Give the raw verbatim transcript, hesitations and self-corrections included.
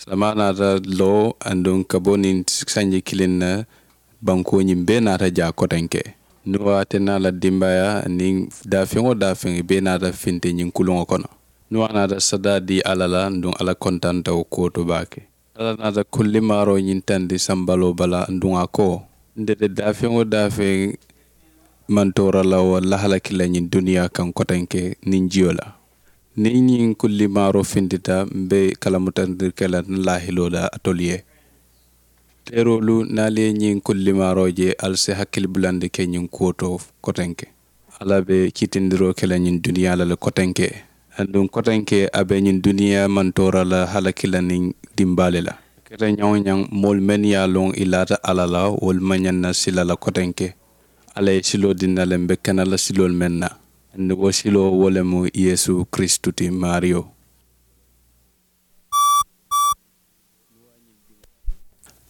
Samaa naata loo aduŋ ka bo niŋ sanji kiliŋ na. Bankoo ñiŋ bee naata jaa kotenke. Nuwa ate naa la dimbaayaa niŋ daafeŋ wo daafeŋ i bee naata finti ñiŋ kuluŋo kono. Nuwa naata sadaa dii alla la aduŋ alla kontanta wo kuwo to baake. Alla naata kullimaaroo ñiŋ tandi sambaloo bala aduŋ a ko, nte de daafeŋ wo daafeŋ maŋ toora la wo lahalaki la ñiŋ duniyaa kaŋ kotenke niŋ jiyo la. Niŋ ñiŋ kullimaaroo fintita m̀ be kalamutandiri ke la n laahiloo la alitolu ye. Teeroolu niŋ ali ye ñiŋ kullimaaroo je ali si hakkili bulandi ke ñiŋ kuwo to kotenke. Alla be kiitindiroo ke la ñiŋ duniyaa la le kotenke. Aduŋ kotenke a be ñiŋ duniyaa maŋ toora la halaki la niŋ dimbaa le la. Keta ñaŋ-wo-ñaŋ moolu mennu ye a loŋ i laata alla la wolu maŋ ñaŋ na sila la kotenke. Alla ye siloo dii n na le m̀ be kana la siloolu meŋ na. Aduŋ wo siloo wo le mu yeesu kiristu ti maariyo.